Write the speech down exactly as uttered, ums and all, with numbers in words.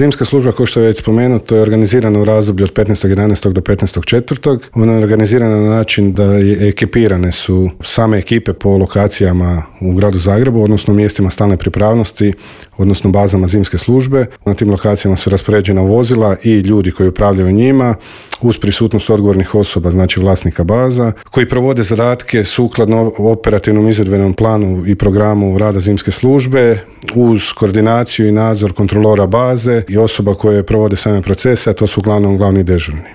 Zimska služba, kao što je već spomenuto, je organizirana u razdoblju od petnaestog jedanaestog do petnaestog četvrtog Ona je organizirana na način da je ekipirane su same ekipe po lokacijama u gradu Zagrebu, odnosno mjestima stalne pripravnosti, odnosno bazama zimske službe. Na tim lokacijama su raspoređena vozila i ljudi koji upravljaju njima, uz prisutnost odgovornih osoba, znači vlasnika baza, koji provode zadatke sukladno operativnom izvedbenom planu i programu rada zimske službe, uz koordinaciju i nadzor kontrolora baze i osoba koje provode same procese, a to su uglavnom glavni dežurni.